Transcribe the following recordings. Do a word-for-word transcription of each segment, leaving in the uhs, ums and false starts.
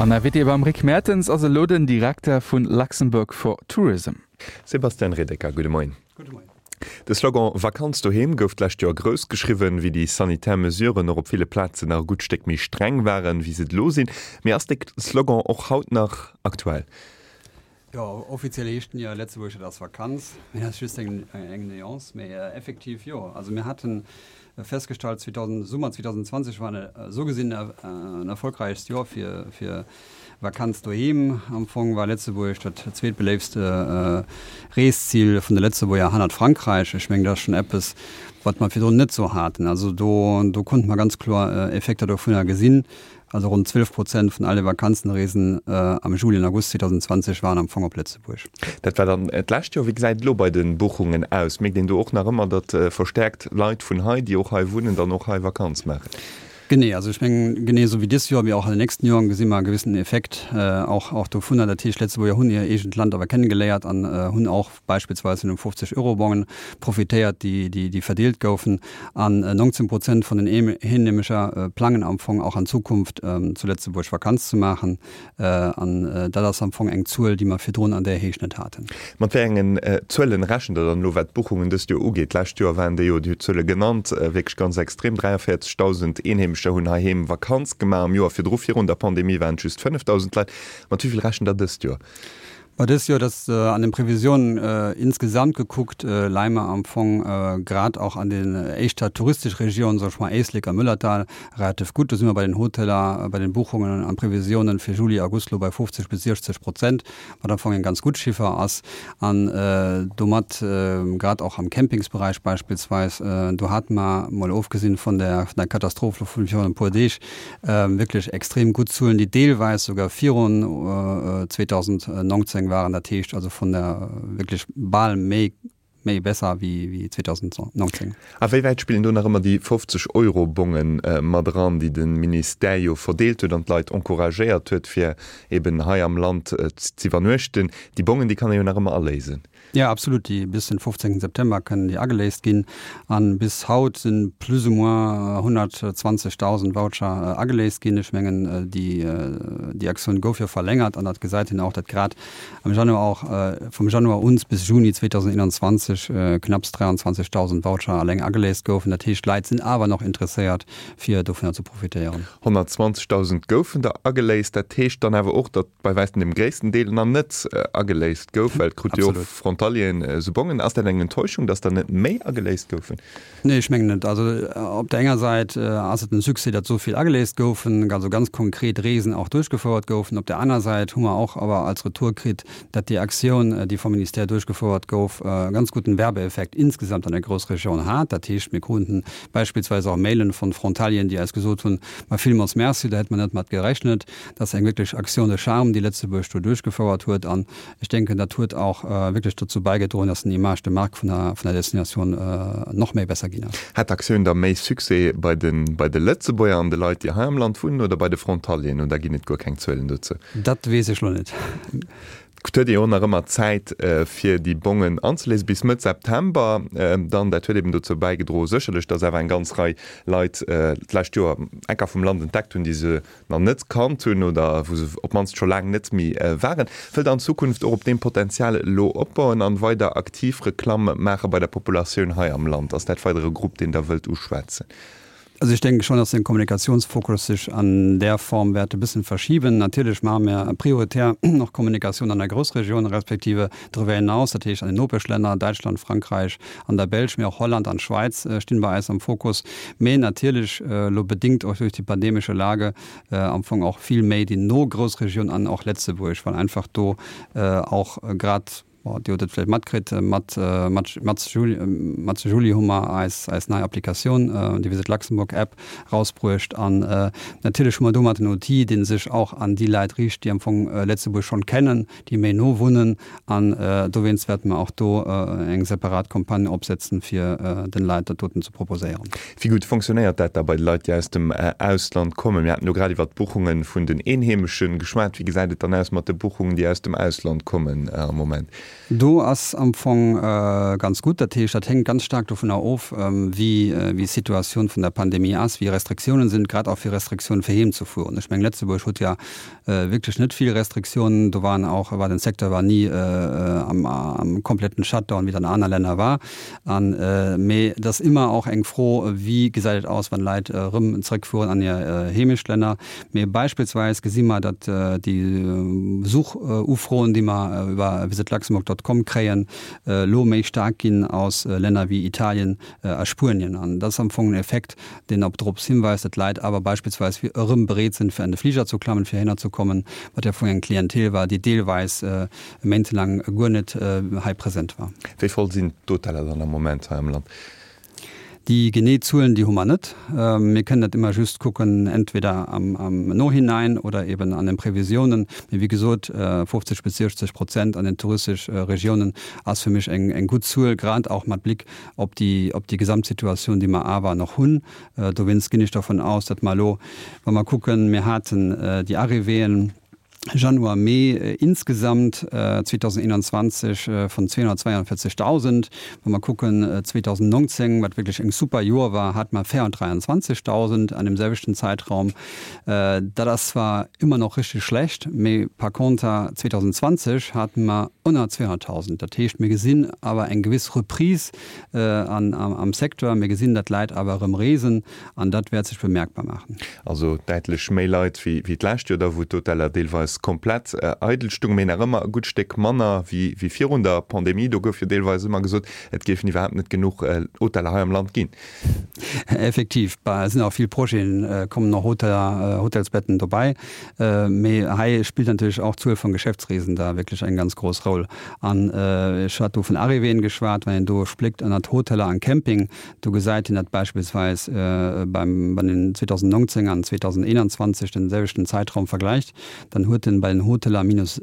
An Invité beim Rick Mertens ass elo den Direkter vun Luxembourg for Tourism. Sébastien Redeker, gudde Moien. Gudde Moien. De Slogan Vakanz doheem gouf d'lescht Joer grouss geschriwwen, wéi déi sanitär Mesuren och op ville Plazen nach e gutt Stéck méi streng waren, wéi se et elo sinn. Mee ass de Slogan och haut nach aktuell? Jo, offiziell heescht en jo Lëtzebuerg, et ass Vakanz. Mee dat ass just eng eng Nuance. Mee effektiv jo. Also mir haten festgestallt, zweetausend, Summer zweetausendzwanzeg war esou gesinn en erfolgräichst Joer fir fir Vakanz doheem. Am Fong war Lëtzebuerg dat zweetbeléiftste Reeszil vun de Lëtzebuerger hannert Frankräich. Ech mengen, dat ass schonn eppes, wat mer virdrun net esou haten. Also do do konnte mer ganz kloer Effekter dovunner gesinn. Also ronn zwielef Prozent vun alle Vakanzenreesen am Juli an August zweetausendzwanzeg waren am Fong op Lëtzebuerg. Dat war dann d'lescht Joer. Wéi gesäit et elo bei de Buchungen aus? Mierkt een do och nach ëmmer, datt verstäerkt Leit vun hei, déi och hei wunnen, dann och hei Vakanz maachen? Genee, also ech mengen, genee esou wéi dës Joer, wéi och an den nächsten Joren gesi mer e gewissen Effekt och och dovunner. Dat heescht, Lëtzebuerger hunn hir eegent Land awer kennegeléiert an hunn och beispillsweis vun den fofzeg Euro Bongen profitéiert, déi déi verdeelt goufen. An neunzehn Prozent vun den Eenheemescher plangen am Fong och an Zukunft zu Lëtzebuerg Vakanz ze maachen. An dat ass am Fong eng Zuel, déi mer virdrun an där Héicht net haten. Mat wéi engen Zuelen rechent Der dann elo, wat d'Buchungen dëst Joer ugeet? D'lescht Joer waren déi jo, Dir hutt d'Zuele genannt, wierklech ganz extrem, dräiavéierzegdausend Eenheemescher hunn heiheem Vakanz gemaach. Am Joer virdru, virun der Pandemie, waren et just fënnefdausend Leit. Mat wéi vill rechent Der dëst Joer? Bei dës Joer, dass an den Previsiounen insgesamt gekuckt, leie mer am Fong grad och an den éischter touristesch Regionen, soe ech mol Éislek a Mëllertal, relativ gutt. Do si mer bei den Hoteler, bei den Buchungen an Previsiounen fir Juli, August elo bei fofzeg bis siechzeg Prozent, wat am Fong eng ganz gutt Chiffer ass. An domat grad och am Campingsberäich beispillsweis, do hate mer, mol ofgesinn vun der Katastroph elo vun virun e puer Deeg, wierklech extrem gutt Zuelen, déi deelweis souguer virun zweetausenneunzehn waren, dat heescht also vun der wierklech bal méi, méi besser wéi zweetausenneunzehn. A wéi wäit spillen do nach ëmmer déi fofzeg Euro Bonge mat eran, déi de Ministère jo verdeelt huet an d'Leit encouragéiert huet, fir eben hei am Land z'iwwernuechten? Déi Bongen, déi kann ee jo nach ëmmer aléisen. Jo, absolut. Déi bis den fofzéngten September kënnen déi ageléist ginn. An bis haut sinn plus ou moins honnertzwanzegdausend Voucher ageléist ginn. Ech mengen, déi déi Aktioun gouf jo verlängert an dat gesäit een och, datt grad am Januar och, vum Januar un bis Juni zweetausendeonzwanzeg knapps dräianzwanzegdausend Voucher alleng ageléist goufen. Dat heescht, d'Leit sinn awer nach interesséiert, fir dovunner ze profitéieren. Honnertzwanzegdausend goufen der ageléist. Dat heescht dann awer och, datt bei wäitem dem gréissten Deel nach net ageléist gouf, well et krute jo och Frontalieren esou Bongen. Ass dat eng Enttäuschung, datt der net méi ageléist goufen? Nee, ech mengen net. Also op där enger Säit ass et en Succès, datt esou vill ageléist goufen, also ganz konkret Reesen och duerchgefouert goufen. Op där aner Säit hu mer och awer als Retour kritt, datt déi Aktioun, déi vum Ministère duerchgefouert gouf, e ganz gudden Werbeeffekt insgesamt an der Groussregioun hat. Dat heescht, mir kruten beispillsweis och Mailen von Frontalieren, déi eis gesot hunn, Ma villmools Merci, do hätte mer net mat gerechnet. Dat ass eng wierklech Action de charme, déi Lëtzebuerg do duerchgefouert huet. An ech denken, dat huet och wierklech dozou bäigedroen, dass den Image de marque vun der, vun der Destinatioun nach méi besser ginn ass. Hat d'Aktioun da méi Succès bei de, bei de Lëtzebuerger an de Leit, déi hei am Land wunnen, oder bei de Frontalieren? Oder ginn et guer keng Zuelen dozou? Dat weess ech elo net. Et huet ee jo och nach ëmmer Zäit, fir déi Bongen anzeléisen, bis Mëtt September dann. Dat huet eben dozou bäigedroen, sécherlech, dass awer eng ganz Rei Leit d'lescht Joer Ecker vum Land entdeckt hunn, déi se nach net kannt hunn oder wou se op d'mannst scho laang net méi waren. Wëllt Der an Zukunft och op deem Potenzial elo opbauen an weider aktiv Reklamm maache bei der Populatioun hei am Land? Ass dat weider e Grupp, deen Der wëllt uschwätzen? Also ech denke schon, dass den Kommunikationsfokus sech an där Form wäert e bëssen verschiben. Natierlech maache mir prioritär och Kommunikatioun an der Groussregioun respektive darüber hinaus, dat heescht an den Nopeschlänner, Däitschland, Frankräich an der Belsch, mee och Holland an d'Schwäiz stinn bei eis am Fokus. Mee natierlech elo bedingt och duerch déi pandemesche Lage am Fong och vill méi déi no Groussregioun an och Lëtzebuerg, well einfach do och grad, Bon, Dir hutt et vläicht matkritt, mat mat Matz Juli hu mer eis eis nei Applikatioun, déi Visit Luxembourg App, rausbruecht. An natierlech hu mer domat en Outil, dee sech och an déi Leit riicht, déi am Fong Lëtzebuerg schonn kennen, déi méi no wunnen. An dowéinst wäerte mer och do eng separat Campagne opsetzen, fir den Leit dat doten ze proposéieren. Wéi gutt fonctionnéiert dat da bei de Leit, déi aus dem Ausland kommen? Mir haten elo grad iwwert d'Buchunge vun den Eenheemesche geschwat. Wéi gesäit et dann aus mat de Buchungen, déi aus dem Ausland kommen am Moment? Do ass am Fong ganz gutt. Dat heescht, dat hänkt ganz staark dovunner of, wéi wéi d'Situatioun vun der Pandemie ass, wéi Restriktiounen sinn, grad och fir Restriktiounen fir heem ze fueren. Ech mengen, Lëtzebuerg huet jo wierklech net vill Restriktiounen. Do waren och, war den Secteur war ni am am kompletten Shutdown, wéi et an aner Länner war. An, mee et ass ëmmer och eng Fro, wéi gesäit et aus, wann Leit erëm zrëckfueren an hir Heemeschtlänner. Mee beispillsweis gesi mer, datt déi Besuchufroen, déi mer iwwer Visit Luxembourg dot com kréien, elo méi staark ginn aus Länner wéi Italien a Spuenien. An dat ass am Fong en Effekt, deen op drops hinweist, datt Leit awer beispillsweis erëm bereet sinn, fir an de Fliger ze klammen, fir heihinner ze kommen, wat jo am Fong eng Klientel war, déi deelweis méintelaang guer net hei present war. Wéi voll sinn d'Hoteller dann am Moment hei am Land? Déi genee Zuelen, déi hu mer net. Mir kënnen dat ëmmer just kucken, entweder am, am Nohinein oder eben an den Previsiounen. Mee wéi gesot, fofzeg bis siechzeg Prozent an den touristesch Regiounen ass fir mech eng, eng gutt Zuel, grad och mat Blick op déi, op déi Gesamtsituatioun, déi mer awer nach hunn. Dowéinst ginn ech dervun aus, datt mer elo, wa mer kucken, mir haten déi Arrivéeën, Januar, Mee insgesamt zweedausendeenanzwanzeg vun zweehunnertzweiundvierzegtausend. Wa mer kucken zweedausendneunzéng, wat wierklech eng super Joer war, hate mer véierhunnertdräiandzwanzegtausend an deem selwechten Zäitraum. Dat ass zwar ëmmer nach richteg schlecht, mee par conter zweedausendzwanzeg hate mer ënner zweehonnerttausend. Dat heescht, mir gesinn awer eng gewiss Reprise am Secteur. Mir gesinn, datt d'Leit awer erëm reesen an dat wäert sech bemerkbar maachen. Also däitlech méi Leit wéi d'lescht Joer, da wou d'Hoteller deelweis komplett eidel stoungen, mee nach ëmmer e gutt Stéck manner wéi virun der Pandemie. Do gouf jo deelweis ëmmer gesot, et géifen iwwerhaapt net genuch Hoteller hei am Land ginn. Effektiv, et sinn och vill Projeten, kommen och Hoteller, Hotelsbetten dobäi. Mee hei spillt natierlech och d'Zuel vun Geschäftsreesen da wierklech eng ganz grouss Roll. An ech hat do vun Arrivéeën geschwat, wann een do spléckt ënnert Hoteller an Camping, do gesäit een dat beispillsweis beim, wann een zweedausendneunzéng an zweedausendeenanzwanzeg den selwechten Zäitraum vergläicht, dann huet en bei den Hoteller minus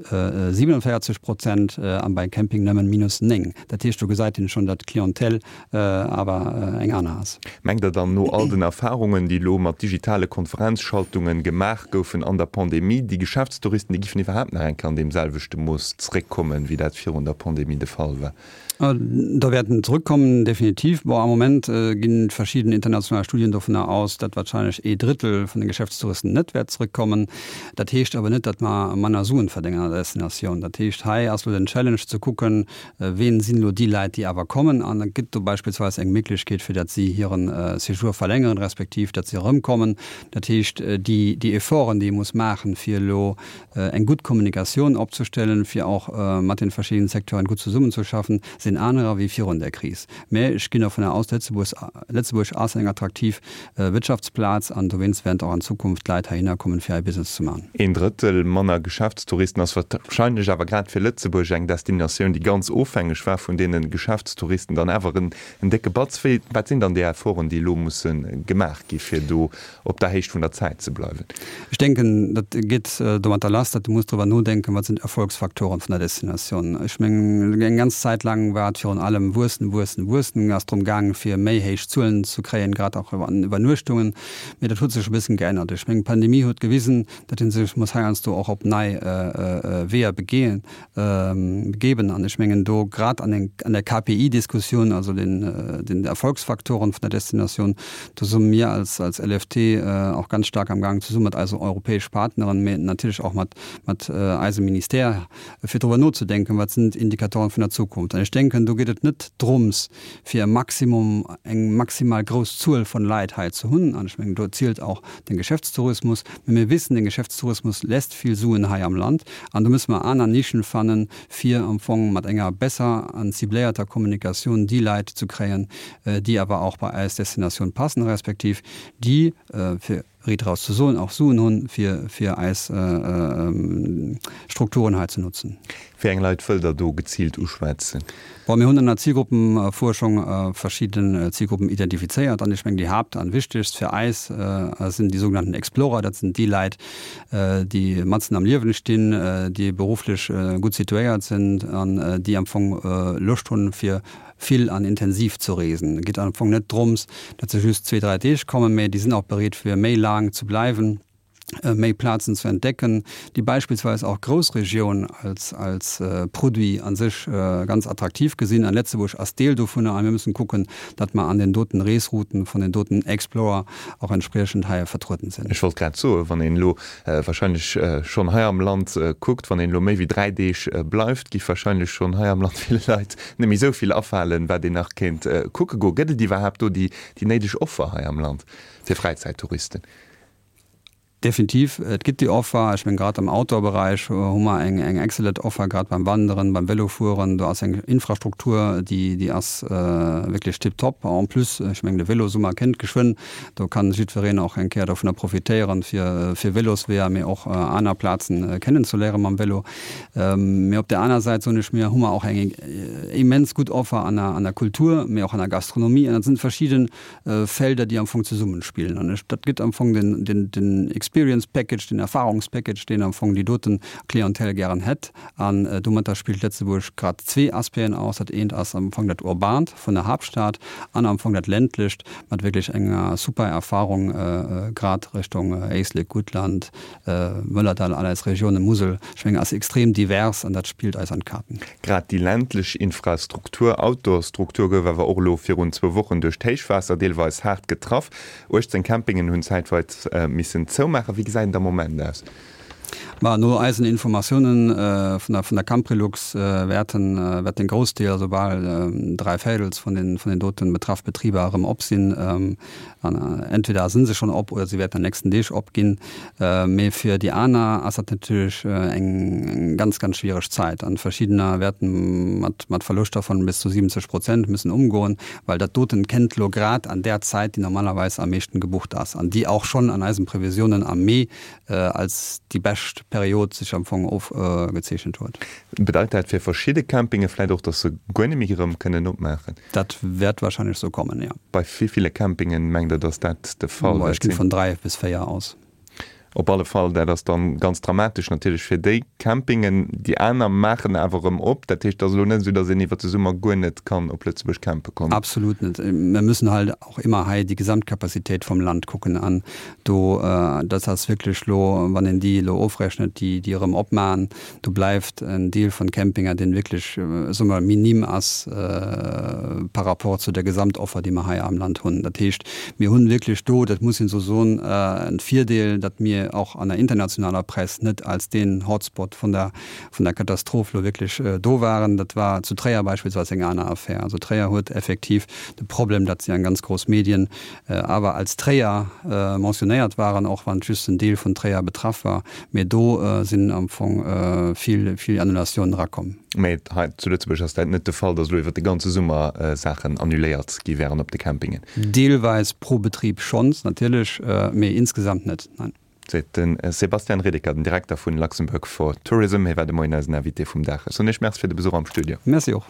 siebenundvierzig Prozent an bei Camping nëmmen minus néng. Dat heescht, do gesäit een schonn, datt d'Clientèle awer eng aner ass. Mengt Der dann, no all den Erfahrungen, déi elo mat digitale Konferenzschaltungen gemaach goufen an der Pandemie, déi Geschäftstouristen, déi giffen iwwerhaapt nach eng Kéier an deem selwechte Mooss zréckkommen, wéi dat virun der Pandemie de Fall war? Da wäerten zrëckkommen, definitiv. Bon, am Moment ginn verschidden international Studien dovunner aus, datt wahrscheinlech ee Drëttel vun de Geschäftstouristen net wäert zrëckkommen. Dat heescht awer net, datt mer manner Suen verdéngen an der Destinatioun. Dat heescht, hei ass elo den Challenge ze kucken, ween sinn elo déi Leit, déi awer kommen, an et gëtt do beispillsweis eng Méiglechkeet, fir datt si hiren Séjour verlängeren, respektiv datt si erëmkommen. Dat heescht, déi, déi Efforten, déi ee muss maachen, fir elo eng gutt Kommunikatioun opzestellen, fir och mat den verschiddenen Secteuren gutt zesummenzeschaffen, sinn anerer wéi virun der Kris. Mä ech ginn dovunner aus, Lëtzebuerg, Lëtzebuerg ass eng attraktiv Wirtschaftsplaz an dowéinst wäerten och an Zukunft Leit heihinner kommen, fir hei Business ze maachen. Een Drëttel manner Geschäftstouristen ass wahrscheinlech awer grad fir Lëtzebuerg, eng Destinatioun, déi ganz ofhängeg war vun deene Geschäftstouristen, dann awer en décke Batz. Wéi, wat sinn dann déi Efforten, déi elo musse gemaach gi fir do op der Héicht vun der Zäit ze bleiwen? Ech denken, dat geet domatter lass, datt du muss driwwer nodenken, wat sinn d'Erfolgsfaktoren vun der Destinatioun. Ech mengen, eng ganz Zäit laang war et virun allem wuessen, wuessen, wuessen, ass drëm gaangen, fir méi héich Zuelen ze kréien, grad och an Iwwernuechtungen. Mee dat huet sech e bëssen geännert. Ech mengen, d'Pandemie huet gewisen, datt ee sech muss heiansdo och op nei Weeër begeen, begeben. An ech mengen, do grad an eng, an der K P I-Diskussioun, also den, den Erfolgsfaktoren vun der Destinatioun, do si mir als, als L F T och ganz staark am Gaang, zesumme mat eise europäesch Partneren, mee natierlech och mat, mat eisem Ministère, fir driwwer nozedenken, wat sinn d'Indikatoren vun der Zukunft. An ech denken, do geet et net drums, fir e Maximum, eng maximal grouss Zuel von Leit hei ze hunn, an ech mengen, do zielt och den Geschäftstourismus, mee mir wissen, den Geschäftstourismus lässt vill Suen hei am Land, an do musse mer aner Nischen fannen, fir am Fong mat enger besser an cibléierter Kommunikatioun déi Leit ze kréien, déi awer och bei eis Destinatioun passen, respektiv déi, fir riit eraus ze soen, och Suen hunn, fir fir eis Strukturen hei ze notzen. Wéi eng Leit wëllt Der do geziilt uschwätzen? Bon, mir hunn an der Zilgruppenfuerschung verschidden Zilgruppen identifizéiert an ech mengen, déi haapt an wichtegst fir eis sinn déi sougenannten Explorer. Dat sinn déi Leit, déi matzen am Liewen stinn, déi berufflech gutt situéiert sinn an déi am Fong Loscht hunn, fir vill an intensiv ze reesen. Et geet am Fong net drëms, datt se just zwee, dräi Deeg kommen, mä déi sinn och bereet, fir méi laang ze bleiwen. méi Plazen ze entdecken, déi beispillsweis och Groussregioun als, als Produit an sech ganz attraktiv gesinn. An Lëtzebuerg ass Deel dovunner a mir müssen kucken, datt mer an den doten Reesrouten vun den doten Explorer och entspriechend hei vertrueden sinn. Ech wollt grad soen, wann een elo wahrscheinlech schonn hei am Land kuckt, wann een elo méi wéi dräi Deeg bleift, gi wahrscheinlech schonn hei am Land ville Leit net méi esou vill afalen, wat een nach kéint kucke goen. Gëtt et iwwerhaapt do déi néideg Offer hei am Land fir Fräizäittouristen? Definitiv, et gëtt déi Offer. Ech mengen, grad am Outdoor-Beräich hu mer eng, eng excellent Offer, grad beim Wanderen, beim Vélofueren. Do ass eng Infrastruktur, déi, déi ass wierklech tiptop. En plus, ech mengen, de Vélosummer kënnt geschwënn. Do kann jiddwereen och eng Kéier dovunner profitéieren, fir, fir Vélosweeër, mee och aner Plazen kennenzeléiere mam Vélo. Mee op där aner Säit, soen ech mir, hu mer och eng immens gutt Offer an der, an der Kultur, mee och an der Gastronomie. An dat sinn verschidden Felder, déi am Fong zesummenspillen. An ech, dat gëtt am Fong den, den, den Experience Package, den Erfahrungspackage, deen am Fong déi doten Clientèle gären hätt. An domatter spillt Lëtzebuerg grad zwee Aspecten aus. Dat eent ass am Fong dat Urbant vun der Haaptstad an am Fong dat Ländlecht mat wierklech enger super Erfahrung, grad Richtung Éislek, Guttland, Mëllerdall, all eis Regiounen, Musel. Ech mengen, ass extrem divers an dat spillt eis an d'Kaarten. Grad déi ländlech Infrastruktur, Outdoor-Struktur gouf awer och elo virun zwou Wochen duerch d'Héichwaasser deelweis haart getraff. uechtzéng Campingen hunn zäitweis missen zoumaachen. Wéi gesäit et am Moment aus? Ma no eisen Informatiounen vun der vun der Camprilux wäerten wäert den Groussdeel, also bal dräi Véirels vun den vun den doten betraff Betriber erëm op sinn. An entweder sinn se schonn op oder se wäerten an den nächsten Deeg opginn. Mee fir déi aner ass dat natierlech eng ganz, ganz schwiereg Zäit. An verschiddener wäerten mat mat Verloschter vun bis zu siwwenzeg Prozent müssen umgoen, well dat doten kennt lo grad an där Zäit, déi normalerweis am meeschten gebucht ass an déi och schonn an eisen Previsiounen am Mee als déi bescht Period sech am Fong ofgezeechent huet. Bedeit dat fir verschidde Campinge vläit och, datt se guer net méi erëm kënnen opmaachen? Dat wäert wahrscheinlech sou kommen, jo. Bei wéi ville Campingen mengt Der, datt dat de Fall wäert sinn? Ech gi vun dräi bis véier aus. Op alle Fall, dat ass dann ganz dramatesch natierlech fir déi Campingen. Déi aner maachen awer erëm op. Dat heescht, et ass elo net esou, datt een iwwer de Summer guer net kann op Lëtzebuerg campe kommen. Absolut net. Mir müssen halt och immer hei déi Gesamtcapacitéit vum Land kucken. An do, dat ass wierklech elo, wann een déi elo ofrechnet, déi, déi erëm opmachen, do bleift en Deel vun Campinger, deen wierklech, soe mer, minim ass par rapport zu der Gesamtoffer, déi mer hei am Land hunn. Dat heescht, mir hunn wierklech do, dat muss een esou soen, en Virdeel, datt mir och an der internationaler Press net als deen Hotspot vun der, vun der Katastroph elo wierklech do waren. Dat war zu Tréier beispillsweis eng aner Affär. Also Tréier huet effektiv de Problem, datt si an ganz grouss Medien awer als Tréier mentionnéiert waren, och wann just en Deel vun Tréier betraff war. Mee do sinn am Fong vill, vill Annulatiounen erakomm. Mee hei zu Lëtzebuerg ass dat net de Fall, datt elo iwwer de ganze Summer Saachen annuléiert gi wären op de Campingen? Deelweis pro Betrib schonns, natierlech, mee insgesamt net, nein. Seet de Sebastian Redeker, den Direkter vun Luxembourg for Tourism. Hie war de Moien eisen Invité vum Dag. Ech soen Iech Merci fir de Besuch am Studio. Merci och.